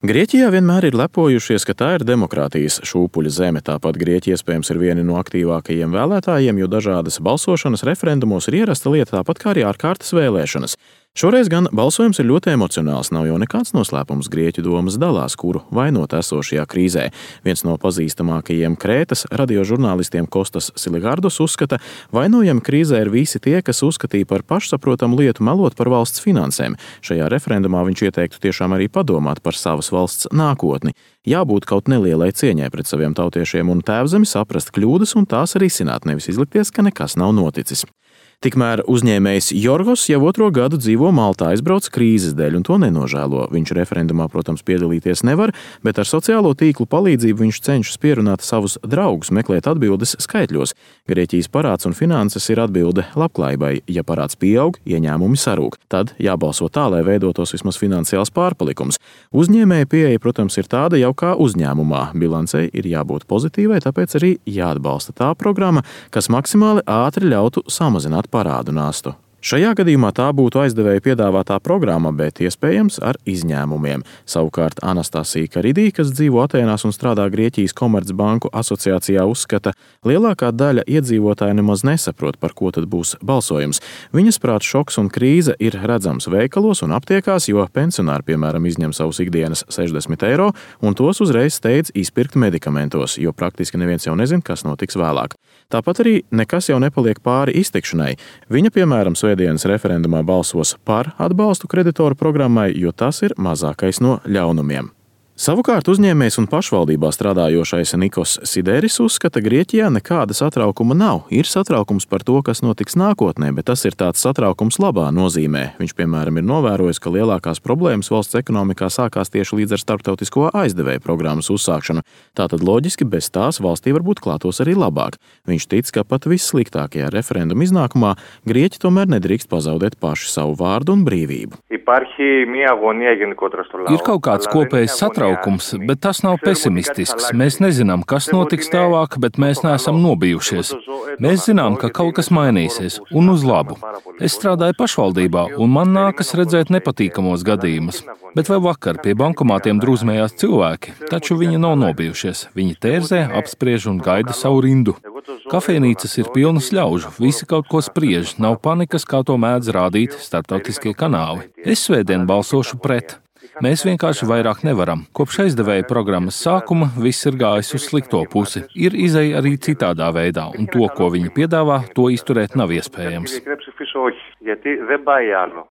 Grieķijā vienmēr ir lepojušies, ka tā ir demokrātijas šūpuļa zeme. Tāpat Grieķija iespējams ir viena no aktīvākajiem vēlētājiem, jo dažādas balsošanas referendumos ir ierasta lieta, tāpat kā arī ārkārtas vēlēšanas. Šoreiz gan balsojums ir ļoti emocionāls, nav jau nekāds noslēpums. Grieķu domas dalās, kuru vainot esošajā krīzē. Viens no pazīstamākajiem Krētas radiožurnālistiem Kostas Siligardos uzskata, vainojami krīzē ir visi tie, kas uzskatīja par pašsaprotamu lietu melot par valsts finansēm. Šajā referendumā viņš ieteiktu tiešām arī padomāt par savas valsts nākotni. Jābūt kaut nelielai cieņai pret saviem tautiešiem un tēvzemi, saprast kļūdas un tās risināt, nevis izlikties, ka nekas nav noticis. Tikmēr uzņēmējs Jorgos jau otro gadu dzīvo Maltā, aizbrauca krīzes dēļ un to nenožēlo. Viņš referendumā, protams, piedalīties nevar, bet ar sociālo tīklu palīdzību viņš cenšas pierunāt savus draugus, meklēt atbildes skaitļos. Grieķijas parāds un finanses ir atbilde labklājībai. Ja parāds pieaug, ieņēmumi sarūk. Tad jābalso tā, lai veidotos vismaz finansiāls pārpalikums. Uzņēmēja pieeja, protams, ir tāda jau kā uzņēmumā. Bilancei ir jābūt pozitīvai, tāpēc arī jāatbalsta tā programma, kas maksimāli ātri ļautu samazināt parādu nastu. Šajā gadījumā tā būtu aizdevēja piedāvātā programma, bet iespējams ar izņēmumiem. Savukārt Anastasija Karidī, kas dzīvo Atēnās un strādā Grieķijas Komercbanku asociācijā, uzskata, lielākā daļa iedzīvotāju nemaz nesaprot, par ko tad būs balsojums. Viņas prāt šoks un krīze ir redzams veikalos un aptiekās, jo pensionāri, piemēram, izņem savus ikdienas 60 eiro un tos uzreiz steidz izpirkt medikamentos, jo praktiski neviens jau nezin, kas notiks vēlāk. Tāpat arī nekas jau nepaliek pāri iztikšanai. Viņa, piemēram, svētdienas referendumā balsos par atbalstu kreditoru programmai, jo tas ir mazākais no ļaunumiem. Savukārt uzņēmējs un pašvaldībā strādājošais Nikos Sideris uzskata, Grieķijā nekāda satraukuma nav. Ir satraukums par to, kas notiks nākotnē, bet tas ir tāds satraukums labā nozīmē. Viņš, piemēram, ir novērojis, ka lielākās problēmas valsts ekonomikā sākās tieši līdz ar starptautisko aizdevēju programmas uzsākšanu. Tātad loģiski bez tās valstī varbūt klātos arī labāk. Viņš tic, ka pat vissliktākajā referenduma iznākumā Grieķi tomēr nedrīkst pazaudēt paši savu vārdu un brīvību. Ir kaut kāds kopējs satraukums, bet tas nav pesimistisks. Mēs nezinām, kas notiks tālāk, bet mēs neesam nobijušies. Mēs zinām, ka kaut kas mainīsies, un uz labu. Es strādāju pašvaldībā, un man nākas redzēt nepatīkamos gadījumus. Bet vēl vakar pie bankomātiem drūzmējās cilvēki, taču viņi nav nobijušies. Viņi tērzē, apspriež un gaida savu rindu. Kafejnīcas ir pilnas ļaužu, visi kaut ko spriež, nav panikas, kā to mēdz rādīt starptautiskie kanāli. Es svētdien balsošu pret. Mēs vienkārši vairāk nevaram. Kopš aizdevēja programmas sākuma viss ir gājis uz slikto pusi. Ir izeja arī citādā veidā, un to, ko viņi piedāvā, to izturēt nav iespējams.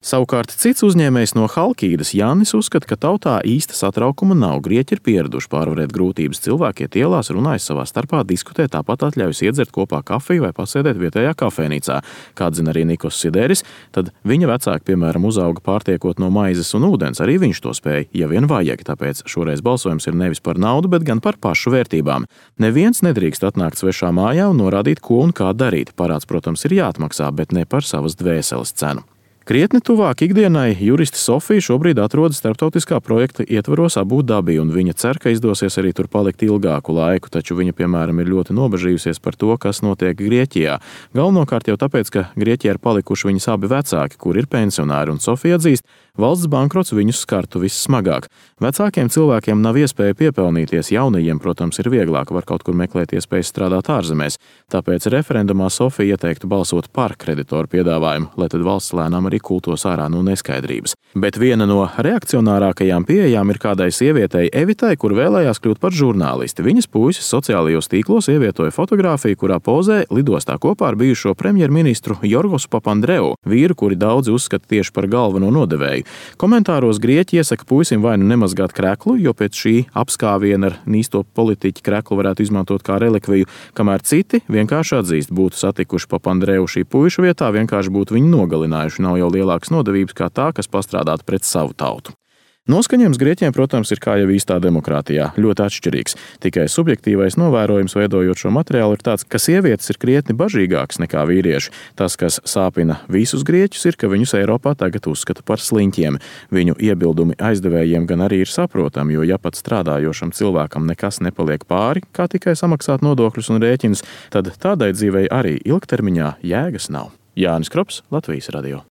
Savukārt cits uzņēmējs no Halkīdas, Jānis, uzskata, ka tautā īsta satraukuma nav. Grieķi ir pieraduši pārvarēt grūtības. Cilvēki iet ielās, runājas savā starpā, diskutē, tāpat atļaujas iedzert kopā kafiju vai pasēdēt vietējā kafejnīcā. Kā zina arī Nikos Sideris, tad viņa vecāki, piemēram, uzauga pārtiekot no maizes un ūdens. Arī viņš to spēja, ja vien vajag, tāpēc šoreiz balsojums ir nevis par naudu, bet gan par pašu vērtībām. Neviens nedrīkst atnākt svešā mājā un norādīt, ko un kā darīt. Parāds, protams, ir jāatmaksā, bet ne par savas dvēseles cenu. Krietni tuvāk ikdienai juriste Sofija šobrīd atrodas starptautiskā projekta ietvaros Abu Dabī, un viņa cer, ka izdosies arī tur palikt ilgāku laiku, taču viņa, piemēram, ir ļoti nobežījusies par to, kas notiek Grieķijā. Galvenokārt jau tāpēc, ka Grieķijā ir palikuši viņas abi vecāki, kur ir pensionāri, un Sofija atzīst, valsts bankrots viņus skartu vissmagāk. Vecākiem cilvēkiem nav iespēja piepelnīties, jaunajiem, protams, ir vieglāk, var kaut kur meklēt iespējas strādāt ārzemēs. Tāpēc referendumā Sofija ieteiktu balsot par kreditoru piedāvājumu, lai tad valsts lēnām arī kultos ārā no neskaidrības. Bet viena no reakcionārākajām pieejām ir kādai sievietei Evitai, kur vēlējās kļūt par žurnālisti. Viņas puisis sociālajos tīklos ievietoja fotogrāfiju, kurā pozē lidostā kopā ar bijušo premjerministru Jorgosu Papandreou, vīru, kuri daudzi uzskata tieši par galveno nodevēju. Komentāros Grieķi iesaka puisim vai nu nemazgāt kreklu, jo pēc šī apskāviena ar nīsto politiķi kreklu varētu izmantot kā relikviju, kamēr citi vienkārši atzīst, būtu satikuši Papandreou šī puiša vietā, vienkārši būtu viņu nogalinājuši. Nav jau lielākas nodevības kā tā, kas pastrādātu pret savu tautu. Noskaņojums Grieķiem, protams, ir kā jau īstā demokrātijā, ļoti atšķirīgs. Tikai subjektīvais novērojums veidojot šo materiālu ir tāds, ka sievietes ir krietni bažīgākas nekā vīrieši. Tas, kas sāpina visus grieķus, ir, ka viņus Eiropā tagad uzskata par sliņķiem. Viņu iebildumi aizdevējiem gan arī ir saprotami, jo ja pat strādājošam cilvēkam nekas nepaliek pāri, kā tikai samaksāt nodokļus un rēķinus, tad tādai dzīvei arī ilgtermiņā jēgas nav. Jānis Krops, Latvijas radio.